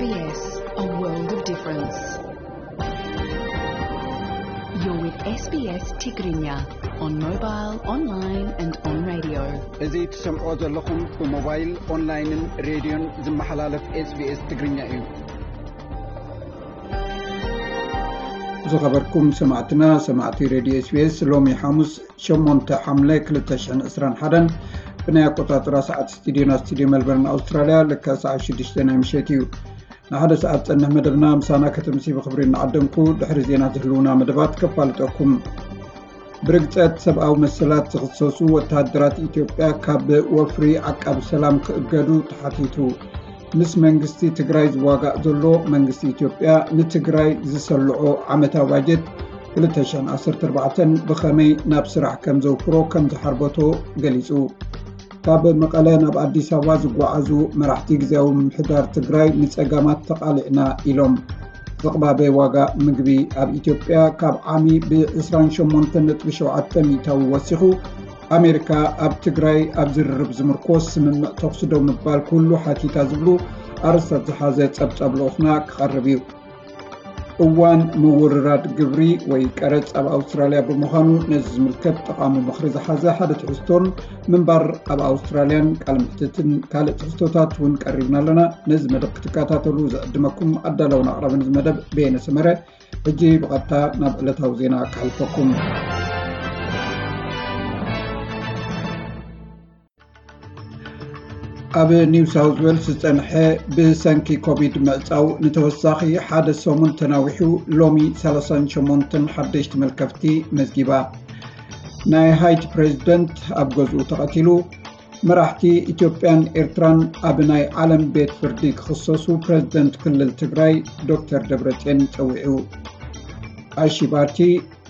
S B S, a world of difference. You're with S B S Tigrinya on mobile, online and on radio. እዚ ትሰምዖ ዘለኹም ብሞባይል፣ ኦንላይንን ሬድዮን ዝመሓላለፍ S B S ትግርኛ እዩ። ዝኸበርኩም ሰማዕትና፣ ሰማዕቲ ሬድዮ S B S፣ ሎሚ ሓሙስ ሸሞንተ ሓምለ ክልተ ሽሕን ዕስራን ሓደን ብናይ ኣቆጻጽራ ሰዓት ስቱዲዮና፣ ስቱዲዮ ሜልበርን ኣውስትራልያ፣ ልክዕ ሰዓት ሽዱሽተ ናይ ምሸት እዩ። ንሓደ ሰዓት ጸንሕ መደብና ምሳና ከተምሲ ብኽብሪ እናዓደምኩ፣ ድሕሪ ዜና ዝህልውና መደባት ከፋልጠኩም። ብርግጸት ሰብኣዊ መሰላት ዝኽሰሱ ወተሃደራት ኢትዮጵያ ካብ ወፍሪ ዓቃቢ ሰላም ክእገዱ ተሓቲቱ። ምስ መንግስቲ ትግራይ ዝዋጋእ ዘሎ መንግስቲ ኢትዮጵያ ንትግራይ ዝሰልዖ ዓመታዊ ባጀት ክልተ ሽሕን ዓሰርተ ኣርባዕተን ብኸመይ ናብ ስራሕ ከም ዘውፍሮ ከም ዝሓርበቶ ገሊጹ። ካብ መቐለ ናብ ኣዲስ ኣበባ ዝጓዓዙ መራሕቲ ግዝያዊ ምምሕዳር ትግራይ ንጸገማት ተቓሊዕና ኢሎም። ዝቕባበ ዋጋ ምግቢ ኣብ ኢትዮጵያ ካብ ዓሚ ብ ዕስራን ሸሞንተን ነጥቢ ሸውዓተ ሚእታዊ ወሲኹ። ኣሜሪካ ኣብ ትግራይ ኣብ ዝርርብ ዝምርኮስ ስምምዕ ተኹሲ ደው ምባል ክህሉ ሓቲታ ዝብሉ ኣርእስታት ዝሓዘ ጸብጻብ ልኡኽና ክቐርብ እዩ። እዋን ምውርራድ ግብሪ ወይ ቀረጽ ኣብ ኣውስትራልያ ብምዃኑ፣ ነዚ ዝምልከት ጠቓሚ ምኽሪ ዝሓዘ ሓደ ትሕዝቶን ምንባር ኣብ ኣውስትራልያን ቃለ መሕትትን ካልእ ትሕዝቶታት እውን ቀሪብና ኣለና። ነዚ መደብ ክትከታተሉ ዝዕድመኩም ኣዳለውን ኣቕራብን እዚ መደብ በየነ ሰመረ። ሕጂ ብቐጥታ ናብ ዕለታዊ ዜና ክሓልፈኩም። ኣብ ኒው ሳውዝ ዌልስ ዝጸንሐ ብሰንኪ ኮቪድ ምዕጻው ንተወሳኺ ሓደ ሰሙን ተናዊሑ፣ ሎሚ ሰላሳን ሸሞንተን ሓደሽቲ መልከፍቲ መዝጊባ። ናይ ሃይቲ ፕሬዚደንት ኣብ ገዝኡ ተቐቲሉ። መራሕቲ ኢትዮጵያን ኤርትራን ኣብ ናይ ዓለም ቤት ፍርዲ ክኽሰሱ ፕሬዚደንት ክልል ትግራይ ዶክተር ደብረጽዮን ጸዊዑ። ኣሺ ባርቲ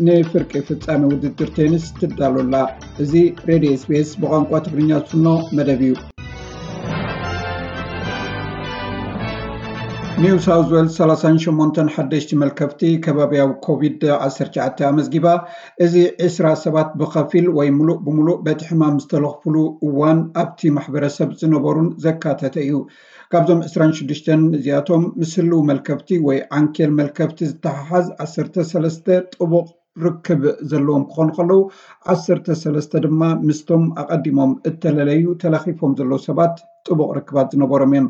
ንፍርቂ ፍጻሜ ውድድር ቴኒስ ትዳሎ ኣላ። እዚ ሬድዮ S B S ብቋንቋ ትግርኛ ዝፍኖ መደብ እዩ። ኒው ሳውዝ ዌልስ ሰላሳን ሸሞንተን ሓደሽቲ መልከፍቲ ከባቢያዊ ኮቪድ ዓሰርተ ትሽዓተ ኣመዝጊባ። እዚ ዕስራ ሰባት ብኸፊል ወይ ምሉእ ብምሉእ በቲ ሕማም ዝተለኽፉሉ እዋን ኣብቲ ማሕበረሰብ ዝነበሩን ዘካተተ እዩ። ካብዞም ዕስራን ሽዱሽተን እዚኣቶም ምስ ህልው መልከፍቲ ወይ ዓንኬል መልከፍቲ ዝተሓሓዝ ዓሰርተ ሰለስተ ጥቡቕ ርክብ ዘለዎም ክኾኑ ከለዉ፣ ዓሰርተ ሰለስተ ድማ ምስቶም ኣቐዲሞም እተለለዩ ተለኺፎም ዘለዉ ሰባት ጥቡቕ ርክባት ዝነበሮም እዮም።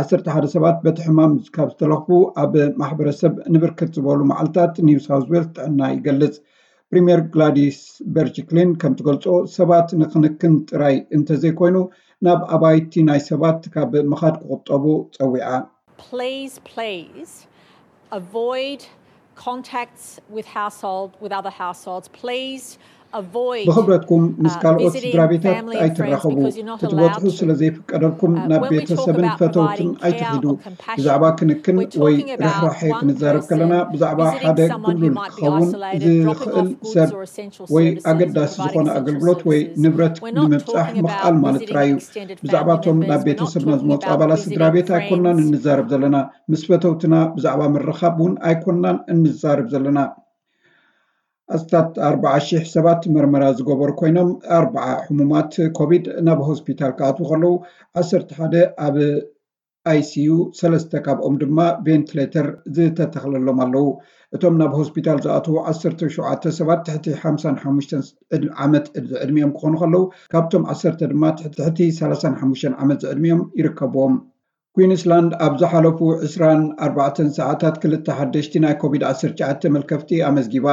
ዓሰርተ ሓደ ሰባት በቲ ሕማም ካብ ዝተለኽፉ ኣብ ማሕበረሰብ ንብርክት ዝበሉ መዓልታት ኒው ሳውዝ ዌልስ ጥዕና ይገልጽ። ፕሪምየር ግላዲስ በርጅክሊን ከም ትገልጾ፣ ሰባት ንክንክን ጥራይ እንተዘይኮይኑ ናብ ኣባይቲ ናይ ሰባት ካብ ምኻድ ክቑጠቡ ጸዊዓ። Please, please avoid contacts with household, with other households. Please avoid ብኽብረትኩም ምስ ካልኦት ስድራ ቤታት ኣይትራኸቡ። ክትበጽሑ ስለ ዘይፍቀደልኩም ናብ ቤተሰብን ፈተውትን ኣይትኺዱ። ብዛዕባ ክንክን ወይ ርሕራሐ ክንዛረብ ከለና፣ ብዛዕባ ሓደ ግሉል ክኸውን ዝኽእል ሰብ ወይ ኣገዳሲ ዝኾነ ኣገልግሎት ወይ ንብረት ንምብጻሕ ምኽኣል ማለት ጥራይ እዩ። ብዛዕባቶም ናብ ቤተሰብና ዝመጹ ኣባላት ስድራ ቤት ኣይኮናን እንዛረብ ዘለና። ምስ ፈተውትና ብዛዕባ ምርኻብ እውን ኣይኮናን እንዛረብ ዘለና። ኣስታት ኣርባዓ ሽሕ ሰባት መርመራ ዝገበሩ ኮይኖም፣ ኣርባዓ ሕሙማት ኮቪድ ናብ ሆስፒታል ክኣትዉ ከለዉ፣ ዓሰርተ ሓደ ኣብ I C U፣ ሰለስተ ካብኦም ድማ ቬንትሌተር ዝተተኽለሎም ኣለዉ። እቶም ናብ ሆስፒታል ዝኣትዉ ዓሰርተ ሸውዓተ ሰባት ትሕቲ ሓምሳን ሓሙሽተን ዓመት ዝዕድሚኦም ክኾኑ ከለዉ፣ ካብቶም ዓሰርተ ድማ ትሕቲ ሰላሳን ሓሙሽተን ዓመት ዝዕድሚኦም ይርከብዎም። ኩዊንስላንድ ኣብ ዝሓለፉ ዕስራን ኣርባዕተን ሰዓታት ክልተ ሓደሽቲ ናይ ኮቪድ ዓሰርተ ትሽዓተ መልከፍቲ ኣመዝጊባ።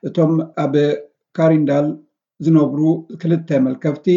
እቶም ኣብ ካሪንዳል ዝነብሩ ክልተ መልከፍቲ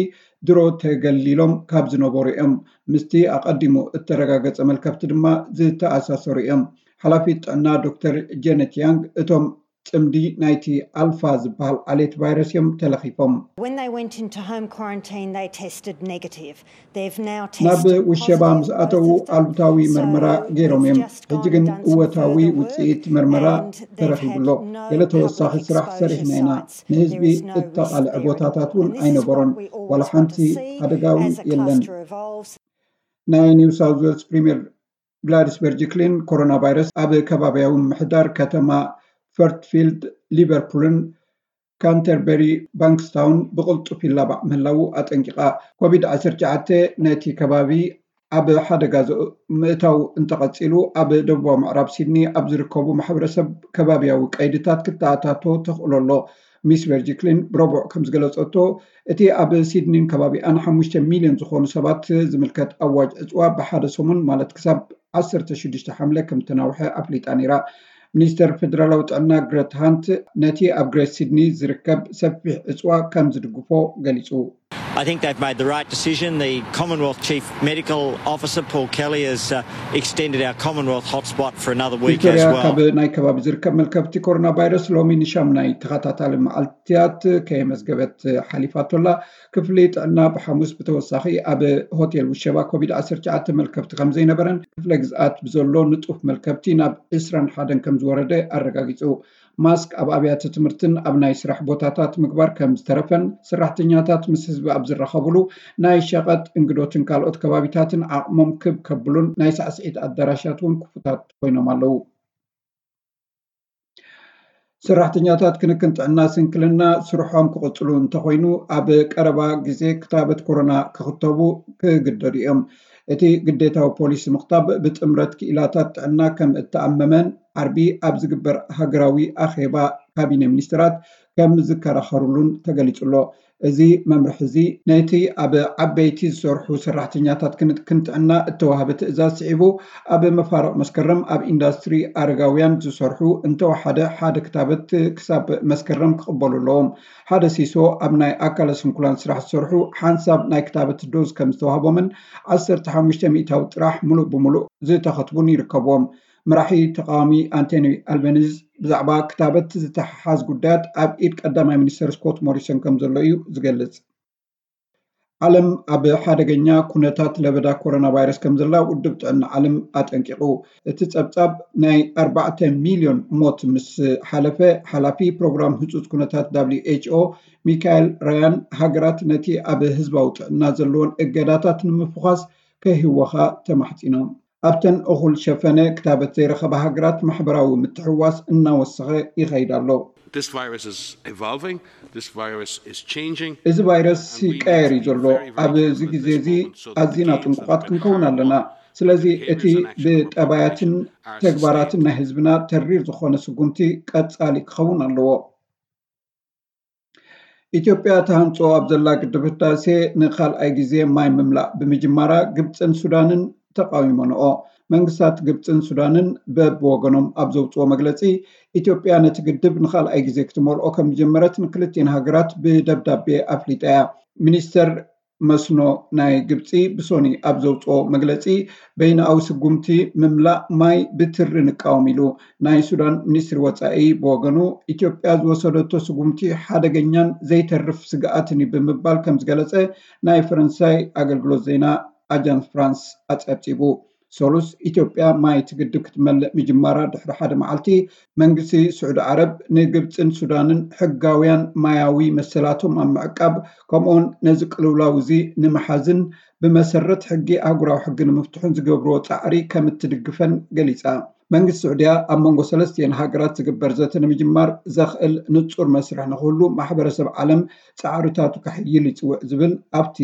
ድሮ ተገሊሎም ካብ ዝነበሩ እዮም። ምስቲ ኣቐዲሙ እተረጋገጸ መልከፍቲ ድማ ዝተኣሳሰሩ እዮም። ሓላፊት ጥዕና ዶክተር ጀነት ያንግ፣ እቶም ጽምዲ ናይቲ ኣልፋ ዝበሃል ዓሌት ቫይረስ እዮም ተለኺፎም። When they went into home quarantine, they tested negative. They've now ናብ tested ውሸባ positive ምስ ኣተዉ both of them. ኣሉታዊ So መርመራ ገይሮም እዮም። It's just ሕጂ gone ግን and done some እወታዊ further work ውጽኢት መርመራ and they've ተረኺቡ had ኣሎ። No ገለ ተወሳኺ public ስራሕ exposure ሰሪሕና ኢና። Sites. ንህዝቢ There is no risk እተቓልዐ there ቦታታት anymore. እውን And this is what ኣይነበሮን። We all ዋላ just want ሓንቲ to see ሓደጋ እውን as a የለን። Cluster evolves. ናይ ኒው ሳውዝ ዌልስ ፕሪምየር ግላዲስ በርጅክሊን፣ ኮሮና ቫይረስ ኣብ ከባቢያዊ ምምሕዳር ከተማ ፈርትፊልድ፣ ሊቨርፑልን ካንተርበሪ ባንክስታውን ብቕልጡፍ ይላባዕ ምህላዉ ኣጠንቂቓ። ኮቪድ ዓሰርተ ትሽዓተ ነቲ ከባቢ ኣብ ሓደጋ ምእታው እንተቐፂሉ፣ ኣብ ደቡባዊ ምዕራብ ሲድኒ ኣብ ዝርከቡ ማሕበረሰብ ከባቢያዊ ቀይድታት ክተኣታቶ ተኽእሎ ኣሎ። ሚስ ቨርጂክሊን ብረቡዕ ከም ዝገለጸቶ፣ እቲ ኣብ ሲድኒን ከባቢኣን ሓሙሽተ ሚልዮን ዝኾኑ ሰባት ዝምልከት ኣዋጅ ዕፅዋ ብሓደ ሰሙን፣ ማለት ክሳብ ዓሰርተ ሽዱሽተ ሓምለ ከም ተናውሐ ኣፍሊጣ ነይራ። ሚኒስተር ፌደራላዊ ጥዕና ግረት ሃንት ነቲ ኣብ ግሬት ሲድኒ ዝርከብ ሰፊሕ ዕፅዋ ከም ዝድግፎ ገሊጹ። I think they've made the right decision. The Commonwealth Chief Medical Officer Paul Kelly has uh, extended our Commonwealth hotspot for another week as well. ካብ ናይ ከባቢ ዝርከብ መልከፍቲ ኮሮና ቫይረስ ሎሚ ንሻምናይ ተኸታታሊ መዓልትያት ከየመዝገበት ሓሊፋቶላ። ክፍሊ ጥዕና ብሓሙስ ብተወሳኺ ኣብ ሆቴል ውሸባ ኮቪድ ዓሰርተ ትሽዓተ መልከፍቲ ከም ዘይነበረን ክፍለ ግዝኣት ብዘሎ ንጡፍ መልከፍቲ ናብ ዕስራን ሓደን ከም ዝወረደ ኣረጋጊጹ። ማስክ ኣብ ኣብያተ ትምህርትን ኣብ ናይ ስራሕ ቦታታት ምግባር ከም ዝተረፈን፣ ሰራሕተኛታት ምስ ህዝቢ ኣብ ዝራኸብሉ ናይ ሸቐጥ፣ እንግዶትን ካልኦት ከባቢታትን ዓቕሞም ክብ ከብሉን ናይ ሳዕስዒት ኣዳራሻት እውን ክፉታት ኮይኖም ኣለዉ። ሰራሕተኛታት ክንክን ጥዕና ስንክልና ስርሖም ክቕፅሉ እንተኾይኑ፣ ኣብ ቀረባ ግዜ ክታበት ኮሮና ክኽተቡ ክግደዱ እዮም። እቲ ግዴታዊ ፖሊሲ ምኽታብ ብጥምረት ክኢላታት ጥዕና ከም እተኣመመን ዓርቢ ኣብ ዝግበር ሃገራዊ ኣኼባ ካቢነ ሚኒስትራት ከም ዝከራኸሩሉን ተገሊጹ ኣሎ። እዚ መምርሒ እዚ ነቲ ኣብ ዓበይቲ ዝሰርሑ ሰራሕተኛታት ክንክን ጥዕና እተዋህበ ትእዛዝ ስዒቡ፣ ኣብ መፋርቕ መስከረም ኣብ ኢንዳስትሪ ኣረጋውያን ዝሰርሑ እንተወሓደ ሓደ ክታበት ክሳብ መስከረም ክቕበሉ ኣለዎም። ሓደ ሲሶ ኣብ ናይ ኣካለ ስንኩላን ስራሕ ዝሰርሑ ሓንሳብ ናይ ክታበት ዶዝ ከም ዝተዋህቦምን ዓሰርተ ሓሙሽተ ሚእታዊ ጥራሕ ምሉእ ብምሉእ ዝተኸትቡን ይርከብዎም። መራሒ ተቃዋሚ ኣንቶኒ ኣልበኒዝ ብዛዕባ ክታበት ዝተሓሓዝ ጉዳያት ኣብ ኢድ ቀዳማይ ሚኒስተር ስኮት ሞሪሰን ከም ዘሎ እዩ ዝገልጽ። ዓለም ኣብ ሓደገኛ ኩነታት ለበዳ ኮሮና ቫይረስ ከም ዘላ ውድብ ጥዕና ዓለም ኣጠንቂቑ። እቲ ጸብጻብ ናይ ኣርባዕተ ሚልዮን ሞት ምስ ሓለፈ፣ ሓላፊ ፕሮግራም ህጹጽ ኩነታት ደብሊው ኤች ኦ ሚካኤል ራያን፣ ሃገራት ነቲ ኣብ ህዝባዊ ጥዕና ዘለወን እገዳታት ንምፍዃስ ከይህወኻ ተማሕጺኖም። ኣብተን እኹል ሸፈነ ክታበት ዘይረኸባ ሃገራት ማሕበራዊ ምትሕውዋስ እናወሰኸ ይኸይድ ኣሎ። This virus is evolving. This virus is changing. እዚ ቫይረስ ይቀየር እዩ ዘሎ። ኣብዚ ግዜ እዚ ኣዚና ጥንቁቓት ክንከውን ኣለና። ስለዚ እቲ ብጠባያትን ተግባራትን ናይ ህዝብና ተሪር ዝኾነ ስጉምቲ ቀጻሊ ክኸውን ኣለዎ። ኢትዮጵያ ተሃንጾ ኣብ ዘላ ግድብ ህዳሴ ንኻልኣይ ግዜ ማይ ምምላእ ብምጅማራ ግብጽን ሱዳንን ተቓዊመንኦ። መንግስታት ግብጽን ሱዳንን በብወገኖም ኣብ ዘውጽኦ መግለጺ፣ ኢትዮጵያ ነቲ ግድብ ንኻልኣይ ግዜ ክትመልኦ ከም ዝጀመረት ንክልቲኤን ሃገራት ብደብዳቤ ኣፍሊጣ እያ። ሚኒስተር መስኖ ናይ ግብጺ ብሶኒ ኣብ ዘውጽኦ መግለጺ፣ በይንኣዊ ስጉምቲ ምምላእ ማይ ብትሪ ንቃወም ኢሉ። ናይ ሱዳን ሚኒስትሪ ወጻኢ ብወገኑ፣ ኢትዮጵያ ዝወሰደቶ ስጉምቲ ሓደገኛን ዘይተርፍ ስግኣትን እዩ ብምባል ከም ዝገለጸ ናይ ፈረንሳይ ኣገልግሎት ዜና ኣጃንስ ፍራንስ ኣጸብጺቡ። ሰሉስ፣ ኢትዮጵያ ማይ እቲ ግድብ ክትመልእ ምጅማራ ድሕሪ ሓደ መዓልቲ፣ መንግስቲ ስዑዲ ዓረብ ንግብጽን ሱዳንን ሕጋውያን ማያዊ መሰላቶም ኣብ ምዕቃብ፣ ከምኡውን ነዚ ቅልውላው እዚ ንምሓዝን ብመሰረት ሕጊ ኣህጉራዊ ሕጊ ንምፍትሑን ዝገብርዎ ጻዕሪ ከም እትድግፈን ገሊጻ። መንግስቲ ስዑድያ ኣብ መንጎ ሰለስቲኤን ሃገራት ዝግበር ዘተ ንምጅማር ዘኽእል ንጹር መስርሕ ንኽህሉ ማሕበረሰብ ዓለም ጻዕርታቱ ከሕይል ይጽውዕ ዝብል ኣብቲ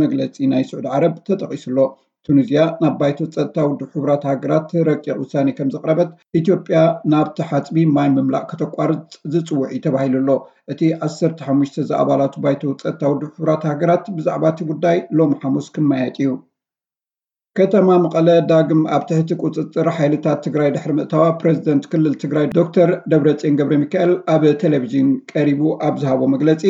መግለጺ ናይ ስዑዲ ዓረብ ተጠቒሱ ኣሎ። ቱኒዝያ ናብ ባይቶ ጸጥታ ውድብ ሕቡራት ሃገራት ረቂቕ ውሳኔ ከም ዘቕረበት፣ ኢትዮጵያ ናብቲ ሓጽቢ ማይ ምምላእ ከተቋርጽ ዝጽውዕ እዩ ተባሂሉ ኣሎ። እቲ ዓሰርተ ሓሙሽተ ዝኣባላቱ ባይቶ ጸጥታ ውድብ ሕቡራት ሃገራት ብዛዕባ እቲ ጉዳይ ሎሚ ሓሙስ ክመያየጥ እዩ። ከተማ መቐለ ዳግም ኣብ ትሕቲ ቁጽጽር ሓይልታት ትግራይ ድሕሪ ምእታዋ፣ ፕሬዝደንት ክልል ትግራይ ዶክተር ደብረጽዮን ገብረ ሚካኤል ኣብ ቴሌቪዥን ቀሪቡ ኣብ ዝሃቦ መግለጺ፣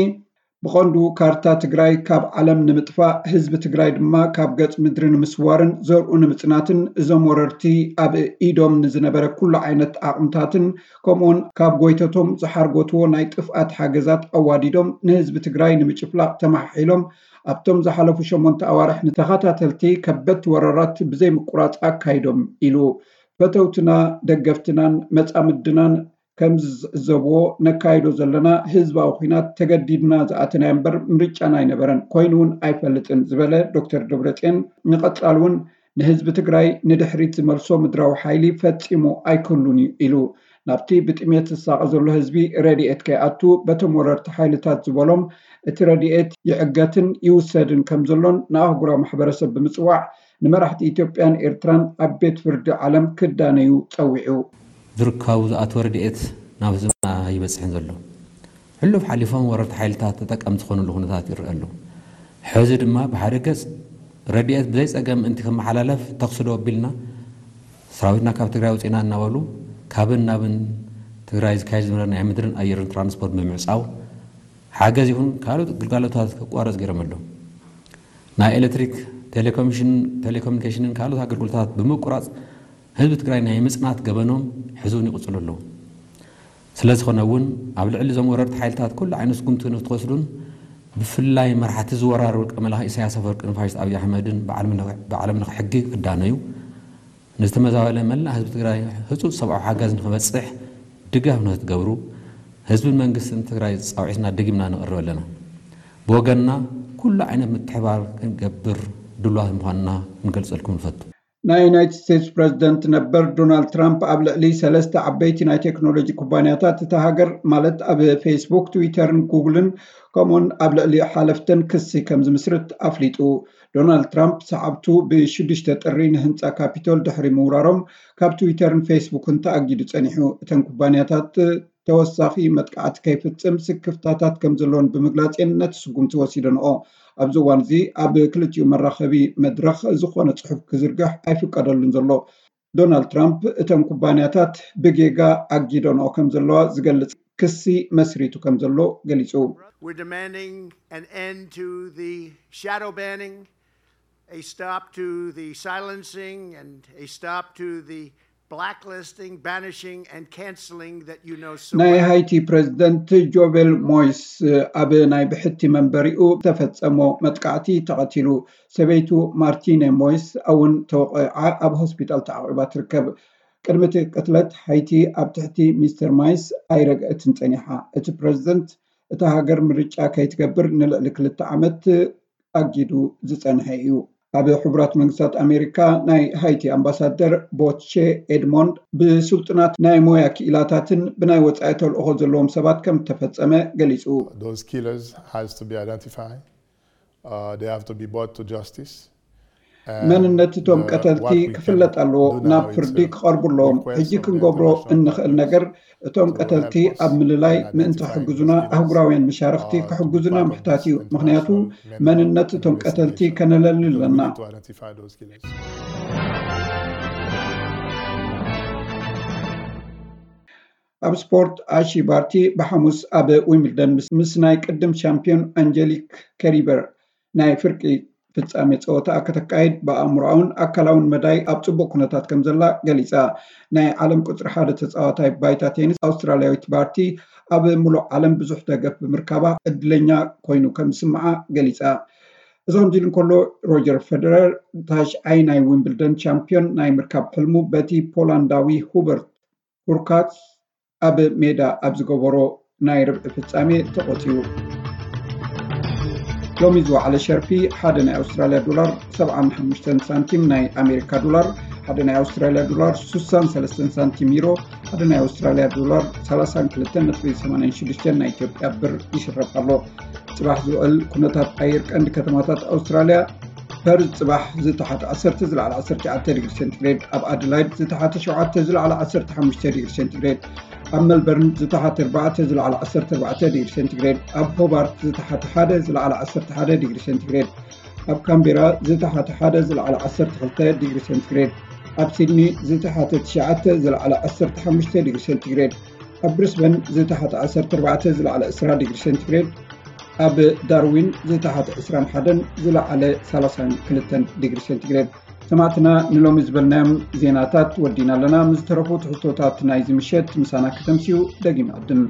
ብቐንዱ ካርታ ትግራይ ካብ ዓለም ንምጥፋእ፣ ህዝቢ ትግራይ ድማ ካብ ገጽ ምድሪ ንምስዋርን ዘርኡ ንምጽናትን፣ እዞም ወረርቲ ኣብ ኢዶም ንዝነበረ ኩሉ ዓይነት ዓቕምታትን ከምኡውን ካብ ጎይተቶም ዝሓርጎትዎ ናይ ጥፍኣት ሓገዛት ኣዋዲዶም ንህዝቢ ትግራይ ንምጭፍላቕ ተማሓሒሎም ኣብቶም ዝሓለፉ ሸሞንተ ኣዋርሕ ንተኸታተልቲ ከበድቲ ወረራት ብዘይምቁራፅ ኣካይዶም ኢሉ። ፈተውትና፣ ደገፍትናን መፃምድናን ከም ዝዕዘብዎ፣ ነካይዶ ዘለና ህዝባዊ ኲናት ተገዲድና ዝኣተናዮ እምበር ምርጫና ኣይነበረን፣ ኮይኑ እውን ኣይፈልጥን ዝበለ ዶክተር ደብረፅዮን፣ ንቐፃሊ እውን ንህዝቢ ትግራይ ንድሕሪት ዝመልሶ ምድራዊ ሓይሊ ፈፂሙ ኣይክህሉን እዩ ኢሉ። ናብቲ ብጥሜት ዝሳቐ ዘሎ ህዝቢ ረድኤት ከይኣቱ በቶም ወረርቲ ሓይልታት ዝበሎም እቲ ረድኤት ይዕገትን ይውሰድን ከም ዘሎን ንኣህጉራዊ ማሕበረሰብ ብምፅዋዕ ንመራሕቲ ኢትዮጵያን ኤርትራን ኣብ ቤት ፍርዲ ዓለም ክዳነዩ ጸዊዑ። ዝርካቡ ዝኣተወ ረድኤት ናብ ህዝብና ኣይበፅሕን ዘሎ። ሕሉፍ ሓሊፎም ወረርቲ ሓይልታት ተጠቀምቲ ዝኾኑሉ ኩነታት ይረአ ኣሎ። ሕዚ ድማ ብሓደ ገፅ ረድኤት ብዘይ ፀገም ምእንቲ ክመሓላለፍ ተኽሲ ዶ ኣቢልና ሰራዊትና ካብ ትግራይ ኣውፂእና እናበሉ ካብን ናብን ትግራይ ዝካየድ ዝነበረ ናይ ምድርን ኣየርን ትራንስፖርት ብምዕፃው ሓገዝ ይኹን ካልኦት ግልጋሎታት ክቋረፅ ገይሮም ኣለዉ። ናይ ኤሌክትሪክ፣ ቴሌኮሚሽን፣ ቴሌኮሙኒኬሽንን ካልኦት ኣገልግሎታት ብምቁራፅ ህዝቢ ትግራይ ናይ ምፅናት ገበኖም ሕዚ እውን ይቕፅሉ ኣለዉ። ስለዝኾነ እውን ኣብ ልዕሊ እዞም ወረርቲ ሓይልታት ኩሉ ዓይነት ስጉምቲ ንክትወስዱን ብፍላይ መራሕቲ ዝወራር ውልቀ መላኺ ኢሳያስ ኣፈወርቂ ንፋሽስት ኣብይ ኣሕመድን ብዓለም ለኸ ሕጊ ክዳነዩ ንዝተመዛበለ መላእ ህዝቢ ትግራይ ህፁፅ ሰብኣዊ ሓገዝ ንክበፅሕ ድጋፍ ንክትገብሩ ህዝብን መንግስትን ትግራይ ፃውዒትና ደጊምና ነቕርብ ኣለና። ብወገንና ኩሉ ዓይነት ምትሕባር ክንገብር ድሉዋት ምዃንና ክንገልፀልኩም ንፈቱ። ናይ ዩናይትድ ስቴትስ ፕረዚደንት ነበር ዶናልድ ትራምፕ ኣብ ልዕሊ ሰለስተ ዓበይቲ ናይ ቴክኖሎጂ ኩባንያታት እታ ሃገር ማለት ኣብ ፌስቡክ፣ ትዊተርን ጉግልን ከምኡን ኣብ ልዕሊ ሓለፍተን ክሲ ከም ዝምስርት ኣፍሊጡ። ዶናልድ ትራምፕ ሰዓብቱ ብሽዱሽተ ጥሪ ንህንፃ ካፒቶል ድሕሪ ምውራሮም ካብ ትዊተርን ፌስቡክን ተኣጊዱ ጸኒሑ። እተን ኩባንያታት ተወሳኺ መጥቃዕቲ ከይፍጽም ስክፍታታት ከም ዘለዎን ብምግላጽ እየን ነቲ ስጉምቲ ወሲደንኦ። ኣብዚ እዋን እዚ ኣብ ክልቲኡ መራኸቢ መድረኽ ዝኾነ ጽሑፍ ክዝርግሕ ኣይፍቀደሉን ዘሎ። ዶናልድ ትራምፕ እተን ኩባንያታት ብጌጋ ኣጊደንኦ ከም ዘለዋ ዝገልጽ ክሲ መስሪቱ ከም ዘሎ ገሊጹ። We're demanding an end to the shadow banning, a stop to the silencing, and a stop to the blacklisting, banishing, and canceling that you know so ናይ well. ሃይቲ ፕረዚደንት ጆቬል ሞይስ ኣብ ናይ ብሕቲ መንበሪኡ ዝተፈጸሞ መጥቃዕቲ ተቐቲሉ። ሰበይቱ ማርቲነ ሞይስ እውን ተወቒዓ ኣብ ሆስፒታል ተዓቒባ ትርከብ። ቅድሚ እቲ ቅትለት ሃይቲ ኣብ ትሕቲ ሚስተር ማይስ ኣይረግአትን ጸኒሓ። እቲ ፕረዚደንት እታ ሃገር ምርጫ ከይትገብር ንልዕሊ ክልተ ዓመት ኣጊዱ ዝጸንሐ እዩ። ኣብ ሕቡራት መንግስታት ኣሜሪካ ናይ ሃይቲ ኣምባሳደር ቦቼ ኤድሞንድ ብስልጡናት ናይ ሞያ ክኢላታትን ብናይ ወጻኢ ተልእኾ ዘለዎም ሰባት ከም እተፈጸመ ገሊጹ። Those killers has to be identified. Uh, they have to be brought to justice. መንነት እቶም ቀተልቲ ክፍለጥ ኣለዎ። ናብ ፍርዲ ክቐርቡ ኣለዎም። ሕጂ ክንገብሮ እንኽእል ነገር እቶም ቀተልቲ ኣብ ምልላይ ምእንቲ ክሕግዙና ኣህጉራውያን መሻርኽቲ ክሕግዙና ምሕታት እዩ። ምኽንያቱ መንነት እቶም ቀተልቲ ከነለሊ ኣለና። ኣብ ስፖርት ኣሺ ባርቲ ብሓሙስ ኣብ ዊምብልደን ምስ ናይ ቅድም ሻምፒዮን ኣንጀሊክ ከሪበር ናይ ፍርቂ ፍጻሜ ጸወታ ከተካይድ ብኣእምሮኣውን ኣካላውን መዳይ ኣብ ጽቡቕ ኩነታት ከም ዘላ ገሊጻ። ናይ ዓለም ቁጽሪ ሓደ ተጻዋታይ ባይታ ቴኒስ ኣውስትራልያዊት ባርቲ ኣብ ምሉእ ዓለም ብዙሕ ደገፍ ብምርካባ ዕድለኛ ኮይኑ ከም ዝስምዓ ገሊጻ። እዚ ከምዚ ኢሉ እንከሎ ሮጀር ፈደረር ታሽዓይ ናይ ዊምብልደን ቻምፒዮን ናይ ምርካብ ሕልሙ በቲ ፖላንዳዊ ሁበርት ሁርካትስ ኣብ ሜዳ ኣብ ዝገበሮ ናይ ርብዒ ፍጻሜ ተቖጺሩ። ሎሚ ዝወዓለ ሸርፊ ሓደ ናይ ኣውስትራልያ ዶላር ሰብዓን ሓሙሽተን ሳንቲም፣ ናይ ኣሜሪካ ዶላር ሓደ ናይ ኣውስትራልያ ዶላር ስሳን ሰለስተን ሳንቲም፣ ዩሮ ሓደ ናይ ኣውስትራልያ ዶላር ሰላሳን ክልተን ነጥቢ ሰማንያን ሽዱሽተን ናይ ኢትዮጵያ ብር ይሽረፍ ኣሎ። ጽባሕ ዝውዕል ኩነታት ኣየር ቀንዲ ከተማታት ኣውስትራልያ ፐርዝ ጽባሕ ዝተሓተ ዓሰርተ ዝለዓለ ዓሰርተ ትሽዓተ ዲግሪ ሴንቲግሬድ፣ ኣብ ኣደላይድ ዝተሓተ ሸውዓተ ዝለዓለ ዓሰርተ ሓሙሽተ ዲግሪ ሴንቲግሬድ፣ ኣብ መልበርን ዝተሓተ ኣርባዕተ ዝለዓለ ዓሰርተ ኣርባዕተ ዲግሪ ሴንቲግሬድ፣ ኣብ ሆባርት ዝተሓተ ሓደ ዝለዓለ ዓሰርተ ሓደ ዲግሪ ሴንቲግሬድ፣ ኣብ ካምቤራ ዝተሓተ ሓደ ዝለዓለ ዓሰርተ ክልተ ዲግሪ ሴንቲግሬድ፣ ኣብ ሲድኒ ዝተሓተ ትሽዓተ ዝለዓለ ዓሰርተ ሓሙሽተ ዲግሪ ሴንቲግሬድ፣ ኣብ ብሪስበን ዝተሓተ ዓሰርተ ኣርባዕተ ዝለዓለ ዕስራ ዲግሪ ሴንቲግሬድ፣ ኣብ ዳርዊን ዝተሓተ ዕስራን ሓደን ዝለዓለ ሰላሳን ክልተን ዲግሪ ሴንቲግሬድ። ሰማዕትና ንሎሚ ዝበልናዮም ዜናታት ወዲና ኣለና። ምስ ዝተረፉ ትሕዝቶታት ናይዚ ምሸት ምሳና ከተምስዩ ደጊም ዕድም።